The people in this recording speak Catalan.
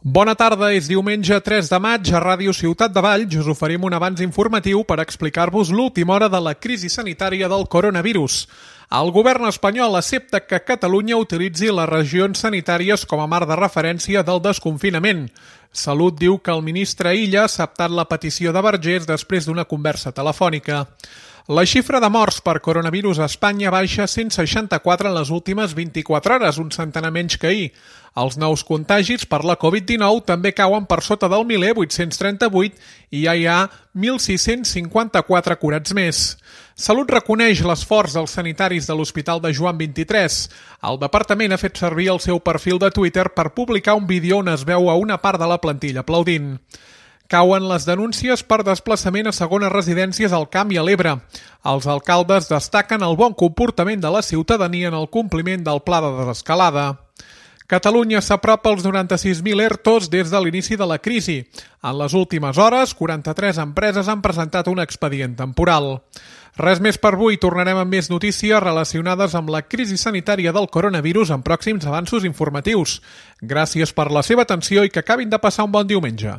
Bona tarda, és diumenge 3 de maig a Ràdio Ciutat de Valls. Us oferim un avanç informatiu per explicar-vos l'última hora de la crisi sanitària del coronavirus. El govern espanyol accepta que Catalunya utilitzi les regions sanitàries com a marc de referència del desconfinament. Salut diu que el ministre Illa ha acceptat la petició de Vergés després d'una conversa telefònica. La xifra de morts per coronavirus a Espanya baixa 164 en les últimes 24 hores, un centenar menys que ahir. Els nous contagis per la Covid-19 també cauen per sota del miler, 838, i ja hi ha 1.654 curats més. Salut reconeix l'esforç dels sanitaris de l'Hospital de Joan XXIII. El departament ha fet servir el seu perfil de Twitter per publicar un vídeo on es veu a una part de la plantilla aplaudint. Cauen les denúncies per desplaçament a segones residències al Camp i a l'Ebre. Els alcaldes destaquen el bon comportament de la ciutadania en el compliment del pla de desescalada. Catalunya s'apropa als 96.000 ERTOs des de l'inici de la crisi. En les últimes hores, 43 empreses han presentat un expedient temporal. Res més per avui, tornarem amb més notícies relacionades amb la crisi sanitària del coronavirus en pròxims avanços informatius. Gràcies per la seva atenció i que acabin de passar un bon diumenge.